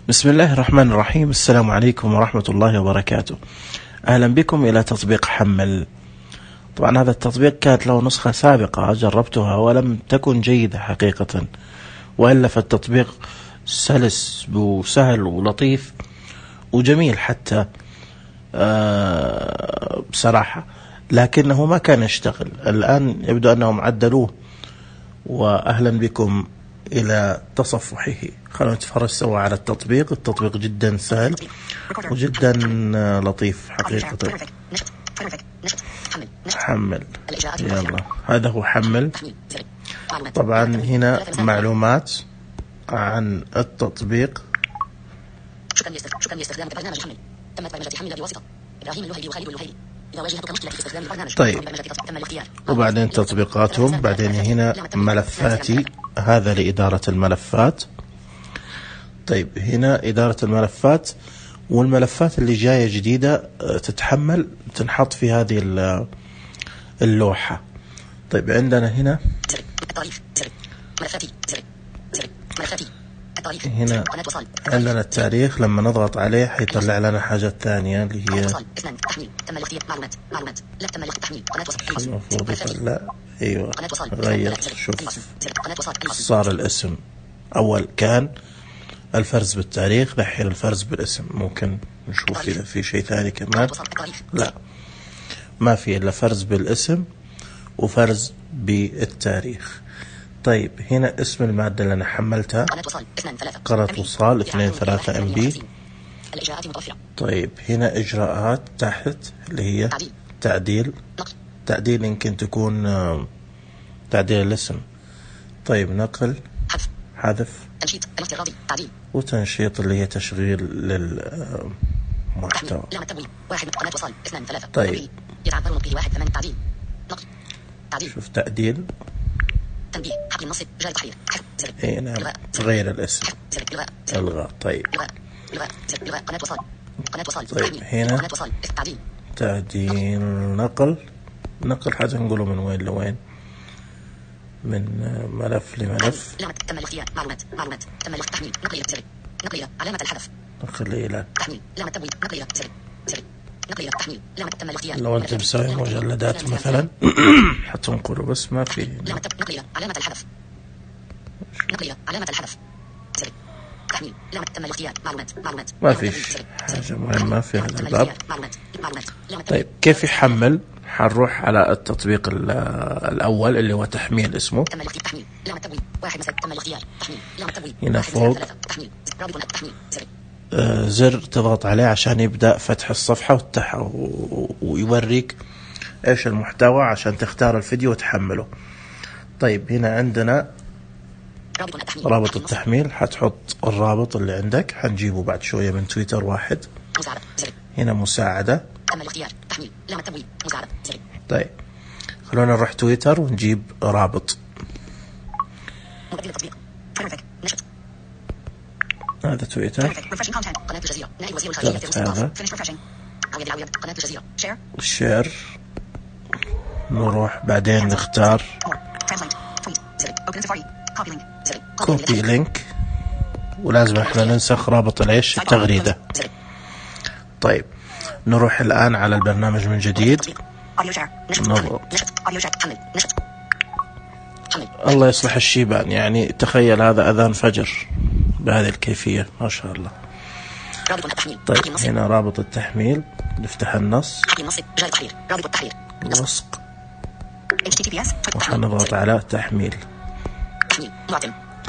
بسم الله الرحمن الرحيم. السلام عليكم ورحمة الله وبركاته. أهلا بكم إلى تطبيق حمل. طبعا هذا التطبيق كانت له نسخة سابقة جربتها ولم تكن جيدة حقيقة، وإلا فالتطبيق سلس وسهل ولطيف وجميل حتى بصراحة، لكنه ما كان يشتغل. الآن يبدو أنهم عدلوه، وأهلا بكم إلى تصفحه. خلونا نتفرج سوا على التطبيق. التطبيق جدا سهل وجدا لطيف حقيقة. حمل، يلا هذا هو حمل. طبعا هنا معلومات عن التطبيق. شكرا لاستخدامك برنامج حمل. تمت برمجة حمل بواسطة إبراهيم اللهيبي وخالد اللهيبي. إذا واجهتك مشكلة في استخدام البرنامج طيب، وبعدين تطبيقاتهم، بعدين هنا ملفاتي، هذا لإدارة الملفات. طيب هنا إدارة الملفات، والملفات اللي جاية جديدة تتحمل تنحط في هذه اللوحة. طيب عندنا هنا هنا عندنا التاريخ، لما نضغط عليه حيطلع لنا حاجة ثانية اللي هي المفروض يطلع. ايوه غير، شوف صار الاسم. اول كان الفرز بالتاريخ، دحين الفرز بالاسم. ممكن نشوف اذا في شيء ثاني كمان. لا، ما في الا فرز بالاسم وفرز بالتاريخ. طيب هنا اسم المادة اللي أنا حملتها، قناة وصال 2.3 MB. طيب هنا إجراءات تحت اللي هي تعديل يمكن تكون تعديل الاسم. طيب نقل، حذف، وتنشيط اللي هي تشغيل للمحتوى. طيب شوف تعديل، تنبيه، حقل النص، جاي تحرير، اي نعم، غير الاسم، الغاء. طيب طيب هنا تعديل، نقل حاجة نقوله من وين لوين، من ملف لملف. تم الاختيار. معلومات تم التحميل. نقل علامة الحذف. نقل إلى تحميل. لامة تبويب. نقل تحميل. لامة تم الاختيار. لو أنت مسوي مجلدات مثلا حتنقله، بس ما في نقل علامة الحذف. نقل علامة الحذف. تحميل. لامة تم الاختيار. معلومات ما في حاجة مهمة في هذا الباب. طيب كيف يحمل؟ حنروح على التطبيق الأول اللي هو تحميل، اسمه هنا فوق زر تضغط عليه عشان يبدأ فتح الصفحة ويوريك ايش المحتوى عشان تختار الفيديو وتحمله. طيب هنا عندنا رابط التحميل، حتحط الرابط اللي عندك، حنجيبه بعد شوية من تويتر واحد. هنا مساعدة. طيب خلونا نروح تويتر ونجيب رابط. هذا تويتر، هذا شير. نروح بعدين نختار كوبي لينك، ولازم احنا ننسخ رابط التغريدة. طيب نروح الآن على البرنامج من جديد. الله يصلح الشيبان، يعني تخيل هذا أذان فجر بهذه الكيفية، ما شاء الله. طيب هنا رابط التحميل، نفتح النص، لصق، وحنضغط على تحميل.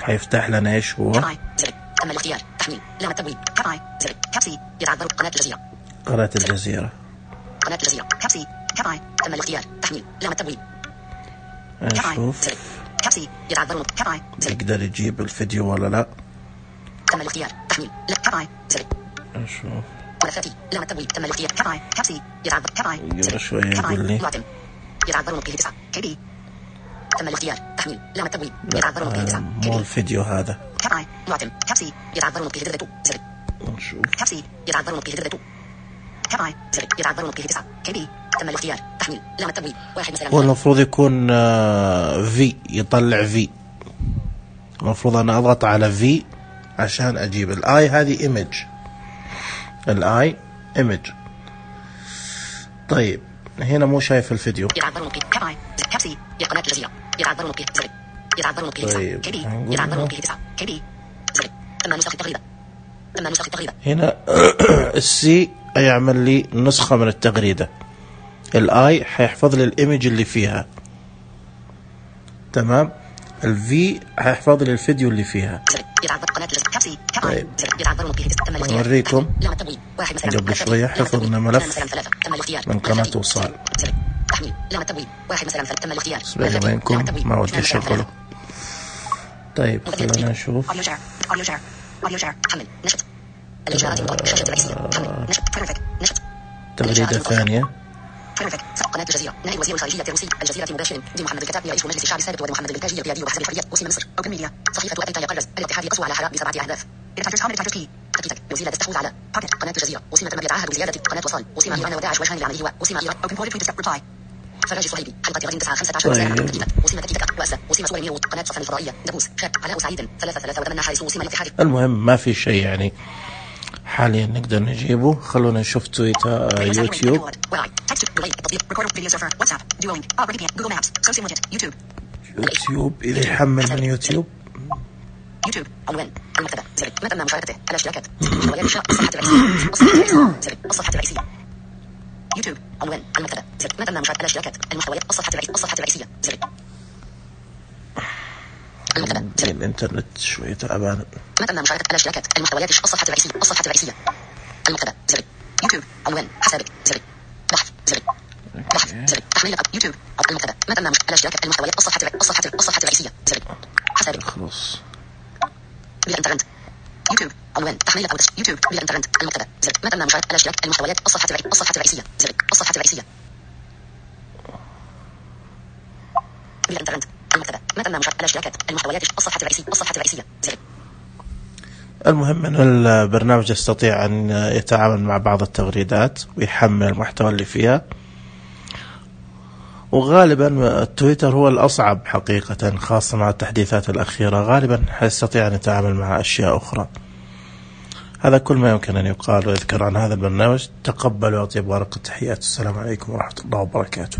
حيفتح لنا ايش هو؟ تم الاختيار. تحميل. لامة تبويب. كابسي. يتعذر قناة الجزيرة. كابسي. تم الاختيار. تحميل. لامة تبويب. نشوف كابسي. يتعذر يقدر يجيب الفيديو ولا لا. تم الاختيار. تحميل. نشوف ملفاتي. لامة تبويب. تم الاختيار. كابسي. يتعذر يقول شوية يقول لي يتعذر نقله 9 KB. تم الاختيار. تحميل. لامة تبويب. يتعذر نقله 9 مو الفيديو هذا. كابسي. يتعذر نقله 2. نشوف كابسي. يتعذر نقله 2. يتعذر نقله 9 KB. تم الاختيار. تحميل. لامة تبويب. 1 مثلا. هو المفروض يكون في، يطلع في. المفروض أنا أضغط على في عشان أجيب الآي. هذه إيمج، الآي إيمج. طيب هنا مو شايف الفيديو. هنا السي يعمل لي نسخة من التغريدة، الاي حيحفظ لي الايمج اللي فيها، تمام. الفي حيحفظ لي الفيديو اللي فيها. طيب أوريكم قبل شوية حفظنا ملف من قناة وصال، بس بيني وبينكم ما ودي أشغله. طيب خلينا نشوف. تغريدة ثانية. قناة الجزيرة. نائب وزير الخارجية الروسي الجزيرة مباشر دي محمد الكتابي رئيس مجلس الشعب السابق ومحمد البلتاجي القيادي وحزب الحرية وسيم مصر أوبن ميديا. صحيفة أيتا يقرز الاتحاد يقسو على حراء ب7 أهداف. تكتيك وزيلة تستحوذ على باكت. قناة الجزيرة. وسيم تم يتعهد بزيادة قناة وصال. وسيم إيران وداعش وجهان لعمله وسيم إيران أوبن بوينت تويت ريبلاي. فراج صهيبي حلقة غد 9/15 تكتيك. وسيم تكتيك وأسا. وسيم صور ميرو. قناة صفن الفضائية. دبوس شاب علاء سعيد 3 وتمنى حارس وسيم الاتحاد. المهم ما في شيء يعني حاليا نقدر نجيبه. خلونا نشوف تويتر يوتيوب. يوتيوب إذا يحمل من يوتيوب. يوتيوب عنوان المكتبة زر ما تم مشاركته الاشتراكات الصفحة الرئيسية. يوتيوب عنوان المكتبة زر ما تم مشاركة الاشتراكات المحتويات الصفحة الرئيسية زر المكتبة زر. الانترنت شوية تعبان. ما تم مشاركة الاشتراكات المحتويات الصفحة الرئيسية المكتبة زر. يوتيوب عنوان حسابك زر. بحث زر. بحث زر. تحميل يوتيوب المكتبة ما تم الاشتراك المحتويات الصفحة الرئيسية زر. حسابك خلاص. بالانترنت يوتيوب عنوان تحميل أو يوتيوب بالانترنت المكتبة زر. ما تم مشاركة الاشتراك المحتويات الصفحة الرئيسية زر. الصفحة الرئيسية بالانترنت المكتبة ما تم مشاركة الاشتراكات المحتويات الصفحة الرئيسية زر. المهم أن البرنامج يستطيع أن يتعامل مع بعض التغريدات ويحمل المحتوى اللي فيها، وغالبا التويتر هو الأصعب حقيقة خاصة مع التحديثات الأخيرة. غالبا يستطيع أن يتعامل مع أشياء أخرى. هذا كل ما يمكن أن يقال ويذكر عن هذا البرنامج. تقبلوا وأطيب ورق التحيات. السلام عليكم ورحمة الله وبركاته.